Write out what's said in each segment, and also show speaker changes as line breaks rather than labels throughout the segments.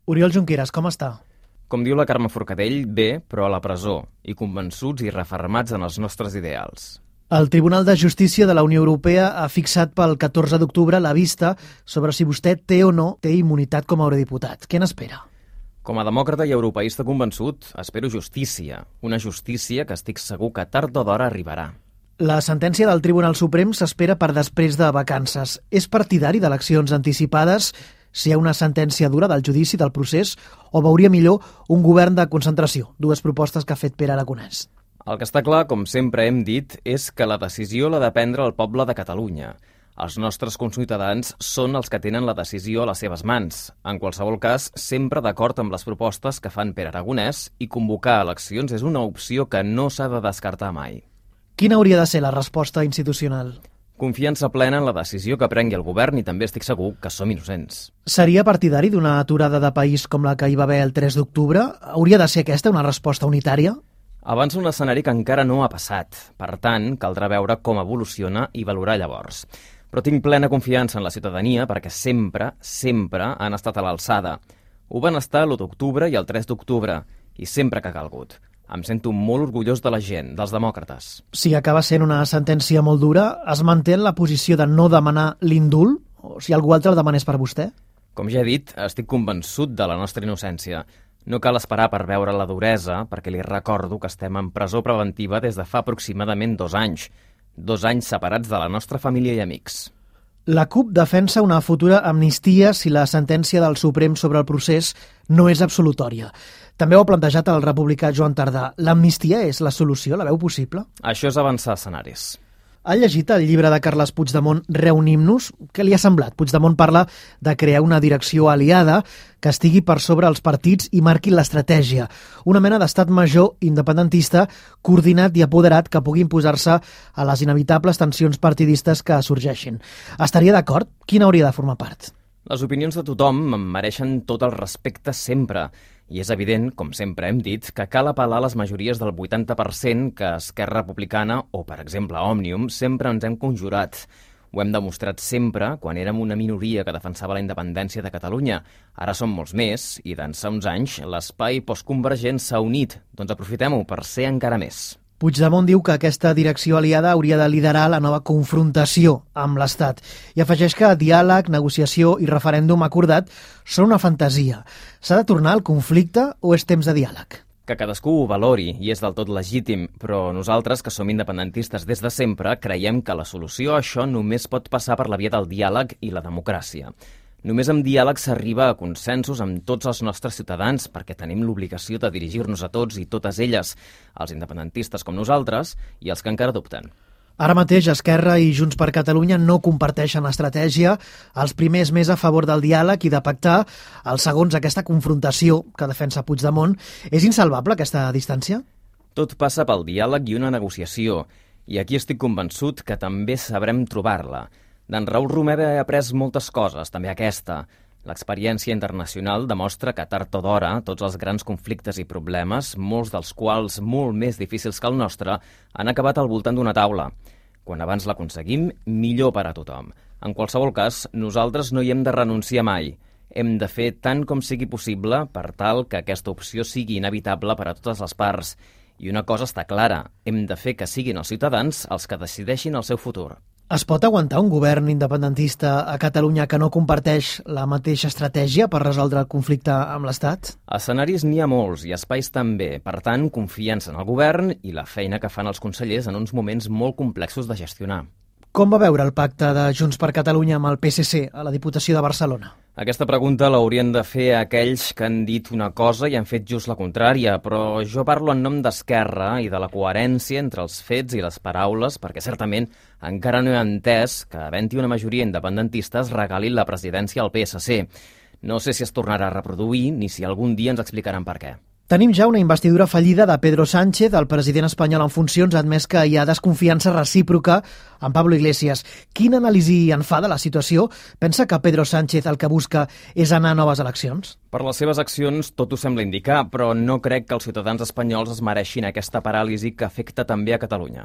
Oriol Junqueras, com està?
Com diu la Carme Forcadell, bé, però a la presó, i convençuts i refermats en els nostres ideals.
El Tribunal de Justícia de la Unió Europea ha fixat pel 14 d'octubre la vista sobre si vostè té o no té immunitat com a eurodiputat. Què n'espera?
Com a demòcrata i europeista convençut, espero justícia. Una justícia que estic segur que tard o d'hora arribarà.
La sentència del Tribunal Suprem s'espera per després de vacances. És partidari d'eleccions anticipades si hi ha una sentència dura del judici del procés o veuria millor un govern de concentració? Dues propostes que ha fet Pere Aragonès.
El que està clar, com sempre hem dit, és que la decisió l'ha de prendre el poble de Catalunya. Els nostres conciutadans són els que tenen la decisió a les seves mans. En qualsevol cas, sempre d'acord amb les propostes que fan Pere Aragonès, i convocar eleccions és una opció que no s'ha de descartar mai.
Quina hauria de ser la resposta institucional?
Confiança plena en la decisió que prengui el govern i també estic segur que som innocents.
Seria partidari d'una aturada de país com la que hi va haver el 3 d'octubre? Hauria de ser aquesta una resposta unitària?
Avança un escenari que encara no ha passat. Per tant, caldrà veure com evoluciona i valorar llavors. Però tinc plena confiança en la ciutadania perquè sempre han estat a l'alçada. Ho van estar l'1 d'octubre i el 3 d'octubre, i sempre que ha calgut. Em sento molt orgullós de la gent, dels demòcrates.
Si acaba sent una sentència molt dura, es manté en la posició de no demanar l'indult? O si algú altre el demanés per vostè?
Com ja he dit, estic convençut de la nostra innocència. No cal esperar per veure la duresa, perquè li recordo que estem en presó preventiva des de fa aproximadament 2 anys. 2 anys separats de la nostra família i amics.
La CUP defensa una futura amnistia si la sentència del Suprem sobre el procés no és absolutòria. També ho ha plantejat el republicà Joan Tardà. L'amnistia és la solució? La veu possible?
Això és avançar escenaris.
Ha llegit el llibre de Carles Puigdemont, Reunim-nos? Què li ha semblat? Puigdemont parla de crear una direcció aliada que estigui per sobre els partits i marqui l'estratègia. Una mena d'estat major independentista coordinat i apoderat que pugui imposar-se a les inevitables tensions partidistes que sorgeixin. Estaria d'acord? Quina hauria de formar part?
Les opinions de tothom em mereixen tot el respecte sempre. I és evident, com sempre hem dit, que cal apel·lar a les majories del 80% que Esquerra Republicana o, per exemple, Òmnium sempre ens hem conjurat. Ho hem demostrat sempre quan érem una minoria que defensava la independència de Catalunya. Ara som molts més i d'ençà uns anys l'espai postconvergent s'ha unit. Doncs aprofitem-ho per ser encara més.
Puigdemont diu que aquesta direcció aliada hauria de liderar la nova confrontació amb l'Estat i afegeix que diàleg, negociació i referèndum acordat són una fantasia. S'ha de tornar al conflicte o és temps de diàleg?
Que cadascú ho valori i és del tot legítim, però nosaltres, que som independentistes des de sempre, creiem que la solució a això només pot passar per la via del diàleg i la democràcia. Només amb diàleg s'arriba a consensos amb tots els nostres ciutadans perquè tenim l'obligació de dirigir-nos a tots i totes elles, els independentistes com nosaltres i els que encara dubten.
Ara mateix Esquerra i Junts per Catalunya no comparteixen l'estratègia, els primers més a favor del diàleg i de pactar, els segons aquesta confrontació que defensa Puigdemont. És insalvable aquesta distància?
Tot passa pel diàleg i una negociació, i aquí estic convençut que també sabrem trobar-la. D'en Raül Romeva he après moltes coses, també aquesta. L'experiència internacional demostra que tard o d'hora tots els grans conflictes i problemes, molts dels quals molt més difícils que el nostre, han acabat al voltant d'una taula. Quan abans l'aconseguim, millor per a tothom. En qualsevol cas, nosaltres no hi hem de renunciar mai. Hem de fer tant com sigui possible per tal que aquesta opció sigui inevitable per a totes les parts. I una cosa està clara, hem de fer que siguin els ciutadans els que decideixin el seu futur.
Es pot aguantar un govern independentista a Catalunya que no comparteix la mateixa estratègia per resoldre el conflicte amb l'Estat?
Escenaris n'hi ha molts i espais també. Per tant, confiança en el govern i la feina que fan els consellers en uns moments molt complexos de gestionar.
Com va veure el pacte de Junts per Catalunya amb el PSC a la Diputació de Barcelona?
Aquesta pregunta l'haurien de fer aquells que han dit una cosa i han fet just la contrària, però jo parlo en nom d'Esquerra i de la coherència entre els fets i les paraules, perquè certament encara no he entès que, havent-hi una majoria independentista, es regali la presidència al PSC. No sé si es tornarà a reproduir ni si algun dia ens explicaran per què.
Tenim ja una investidura fallida de Pedro Sánchez, el president espanyol en funcions, ha admès que hi ha desconfiança recíproca amb Pablo Iglesias. Quina anàlisi en fa de la situació? Pensa que Pedro Sánchez el que busca és anar a noves eleccions?
Per les seves accions tot ho sembla indicar, però no crec que els ciutadans espanyols es mereixin aquesta paràlisi que afecta també a Catalunya.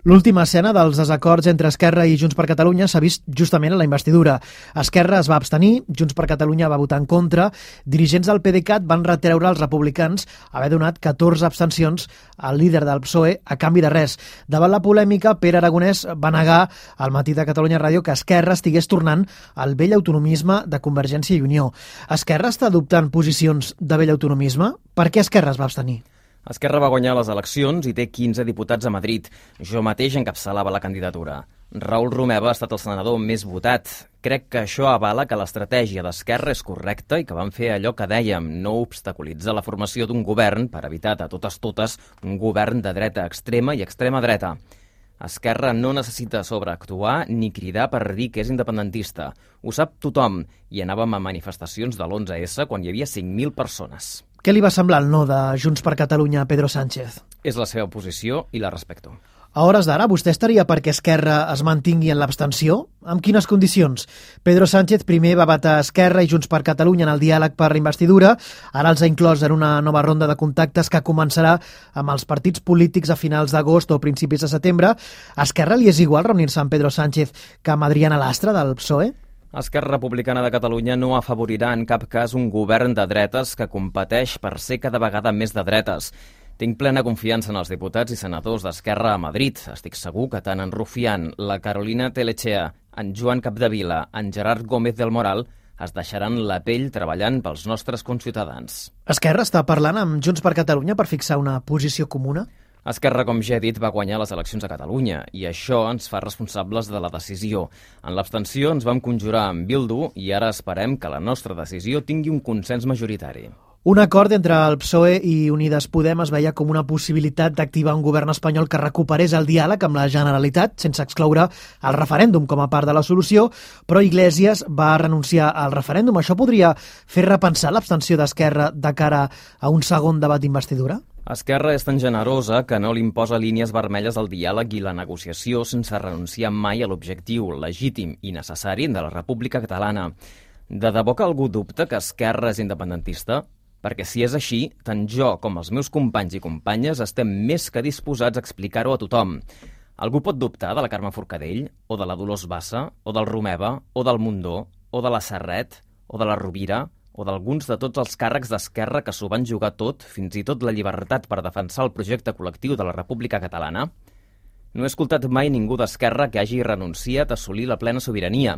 L'última escena dels desacords entre Esquerra i Junts per Catalunya s'ha vist justament a la investidura. Esquerra es va abstenir, Junts per Catalunya va votar en contra, dirigents del PDeCAT van retreure als republicans haver donat 14 abstencions al líder del PSOE a canvi de res. Davant la polèmica, Pere Aragonès va negar al Matí de Catalunya Ràdio que Esquerra estigués tornant al vell autonomisme de Convergència i Unió. Esquerra està adoptant posicions de vell autonomisme? Per què Esquerra es va abstenir?
Esquerra va guanyar les eleccions i té 15 diputats a Madrid. Jo mateix encapçalava la candidatura. Raül Romeva ha estat el senador més votat. Crec que això avala que l'estratègia d'Esquerra és correcta i que van fer allò que dèiem, no obstaculitzar la formació d'un govern per evitar de totes un govern de dreta extrema i extrema dreta. Esquerra no necessita sobreactuar ni cridar per dir que és independentista. Ho sap tothom i anàvem a manifestacions de l'11S quan hi havia 5.000 persones.
Què li va semblar el no de Junts per Catalunya a Pedro Sánchez?
És la seva posició i la respecto.
A hores d'ara, vostè estaria perquè Esquerra es mantingui en l'abstenció? Amb quines condicions? Pedro Sánchez primer va vetar Esquerra i Junts per Catalunya en el diàleg per la investidura, ara els ha inclòs en una nova ronda de contactes que començarà amb els partits polítics a finals d'agost o principis de setembre. A Esquerra li és igual reunir-se amb Pedro Sánchez que amb Adriana Lastra del PSOE?
Esquerra Republicana de Catalunya no afavorirà en cap cas un govern de dretes que competeix per ser cada vegada més de dretes. Tinc plena confiança en els diputats i senadors d'Esquerra a Madrid. Estic segur que tant en Rufián, la Carolina Telechea, en Joan Capdevila, en Gerard Gómez del Moral es deixaran la pell treballant pels nostres conciutadans.
Esquerra està parlant amb Junts per Catalunya per fixar una posició comuna?
Esquerra, com ja he dit, va guanyar les eleccions a Catalunya i això ens fa responsables de la decisió. En l'abstenció ens vam conjurar amb Bildu i ara esperem que la nostra decisió tingui un consens majoritari.
Un acord entre el PSOE i Unides Podem es veia com una possibilitat d'activar un govern espanyol que recuperés el diàleg amb la Generalitat, sense excloure el referèndum com a part de la solució, però Iglesias va renunciar al referèndum. Això podria fer repensar l'abstenció d'Esquerra de cara a un segon debat d'investidura?
Esquerra és tan generosa que no li imposa línies vermelles al diàleg i la negociació sense renunciar mai a l'objectiu legítim i necessari de la República Catalana. De debò que algú dubta que Esquerra és independentista? Perquè si és així, tant jo com els meus companys i companyes estem més que disposats a explicar-ho a tothom. Algú pot dubtar de la Carme Forcadell, o de la Dolors Bassa, o del Romeva, o del Mundó, o de la Serret, o de la Rovira, o d'alguns de tots els càrrecs d'Esquerra que s'ho van jugar tot, fins i tot la llibertat per defensar el projecte col·lectiu de la República Catalana? No he escoltat mai ningú d'Esquerra que hagi renunciat a assolir la plena sobirania.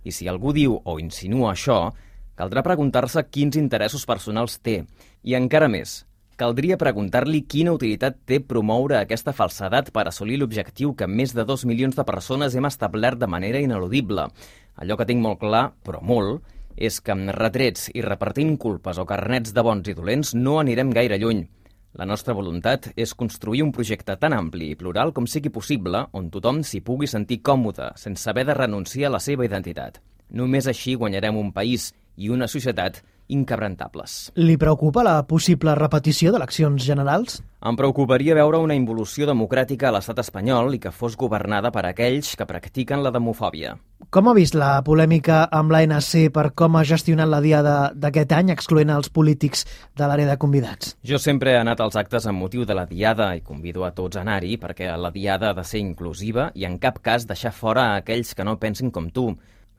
I si algú diu o insinua això, caldrà preguntar-se quins interessos personals té. I encara més, caldria preguntar-li quina utilitat té promoure aquesta falsedat per assolir l'objectiu que més de 2 milions de persones hem establert de manera ineludible. Allò que tinc molt clar, però molt, és que amb retrets i repartint culpes o carnets de bons i dolents no anirem gaire lluny. La nostra voluntat és construir un projecte tan ampli i plural com sigui possible, on tothom s'hi pugui sentir còmode, sense haver de renunciar a la seva identitat. Només així guanyarem un país i una societat inquebrantables.
Li preocupa la possible repetició d'eleccions generals?
Em preocuparia veure una involució democràtica a l'estat espanyol i que fos governada per aquells que practiquen la demofòbia.
Com ha vist la polèmica amb l'ANC per com ha gestionat la diada d'aquest any, excloent els polítics de l'àrea de convidats?
Jo sempre he anat als actes amb motiu de la diada i convido a tots a anar-hi perquè la diada ha de ser inclusiva i en cap cas deixar fora aquells que no pensin com tu.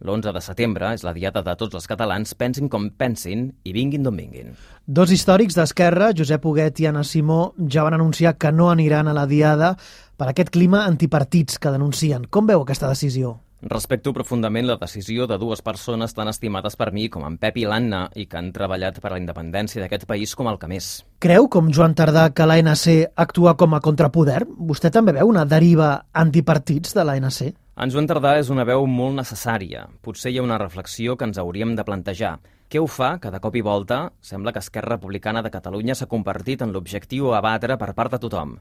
L'11 de setembre és la diada de tots els catalans, pensin com pensin i vinguin d'on vinguin.
Dos històrics d'Esquerra, Josep Huguet i Anna Simó, ja van anunciar que no aniran a la diada per aquest clima antipartits que denuncien. Com veu aquesta decisió?
Respecto profundament la decisió de dues persones tan estimades per mi com en Pep i l'Anna i que han treballat per a la independència d'aquest país com el que més.
Creu, com Joan Tardà, que l'ANC actua com a contrapoder? Vostè també veu una deriva antipartits de l'ANC?
En Joan Tardà és una veu molt necessària. Potser hi ha una reflexió que ens hauríem de plantejar. Què ho fa que de cop i volta sembla que Esquerra Republicana de Catalunya s'ha convertit en l'objectiu a batre per part de tothom?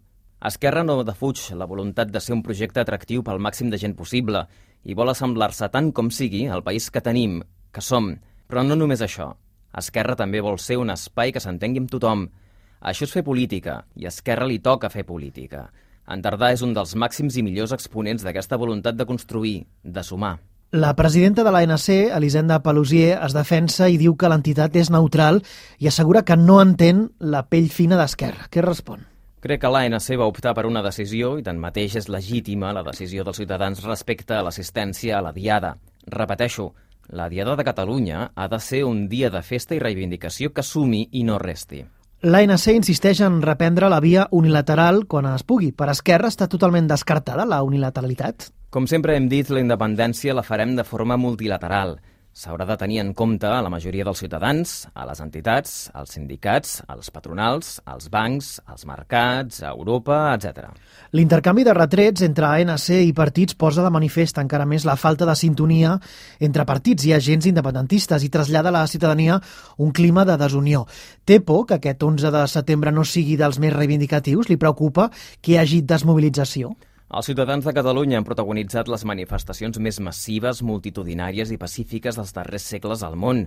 Esquerra no defuig la voluntat de ser un projecte atractiu pel màxim de gent possible i vol assemblar-se tant com sigui al país que tenim, que som. Però no només això. Esquerra també vol ser un espai que s'entengui amb tothom. Això és fer política, i a Esquerra li toca fer política. En Tardà és un dels màxims i millors exponents d'aquesta voluntat de construir, de sumar.
La presidenta de l'ANC, Elisenda Paluzie, es defensa i diu que l'entitat és neutral i assegura que no entén la pell fina d'Esquerra. Què respon?
Crec que l'ANC va optar per una decisió i tanmateix és legítima la decisió dels ciutadans respecte a l'assistència a la Diada. Repeteixo, la Diada de Catalunya ha de ser un dia de festa i reivindicació que sumi i no resti.
L'ANC insisteix en reprendre la via unilateral quan es pugui. Per Esquerra està totalment descartada la unilateralitat?
Com sempre hem dit, la independència la farem de forma multilateral. S'haurà de tenir en compte a la majoria dels ciutadans, a les entitats, als sindicats, als patronals, als bancs, als mercats, a Europa, etc.
L'intercanvi de retrets entre ANC i partits posa de manifest encara més la falta de sintonia entre partits i agents independentistes i trasllada a la ciutadania un clima de desunió. Té por que aquest 11 de setembre no sigui dels més reivindicatius? Li preocupa que hi hagi desmobilització?
Els ciutadans de Catalunya han protagonitzat les manifestacions més massives, multitudinàries i pacífiques dels darrers segles al món.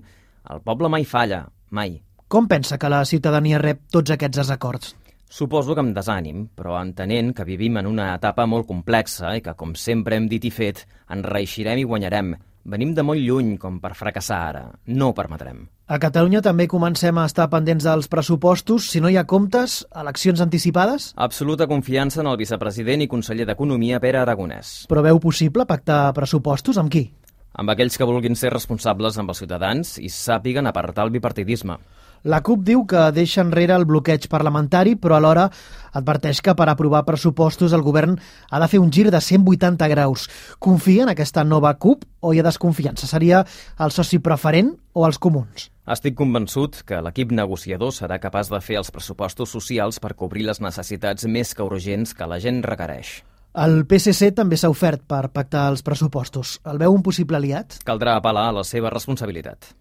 El poble mai falla, mai.
Com pensa que la ciutadania rep tots aquests desacords?
Suposo que amb desànim, però entenent que vivim en una etapa molt complexa i que, com sempre hem dit i fet, ens reeixirem i guanyarem. Venim de molt lluny com per fracassar ara. No ho permetrem.
A Catalunya també comencem a estar pendents dels pressupostos. Si no hi ha comptes, eleccions anticipades?
Absoluta confiança en el vicepresident i conseller d'Economia, Pere Aragonès.
Però veu possible pactar pressupostos amb qui?
Amb aquells que vulguin ser responsables amb els ciutadans i sàpiguen apartar el bipartidisme.
La CUP diu que deixa enrere el bloqueig parlamentari, però alhora adverteix que per aprovar pressupostos el govern ha de fer un gir de 180 graus. Confia en aquesta nova CUP o hi ha desconfiança? Seria el soci preferent o els comuns?
Estic convençut que l'equip negociador serà capaç de fer els pressupostos socials per cobrir les necessitats més que urgents que la gent requereix.
El PSC també s'ha ofert per pactar els pressupostos. El veu un possible aliat?
Caldrà apel·lar a la seva responsabilitat.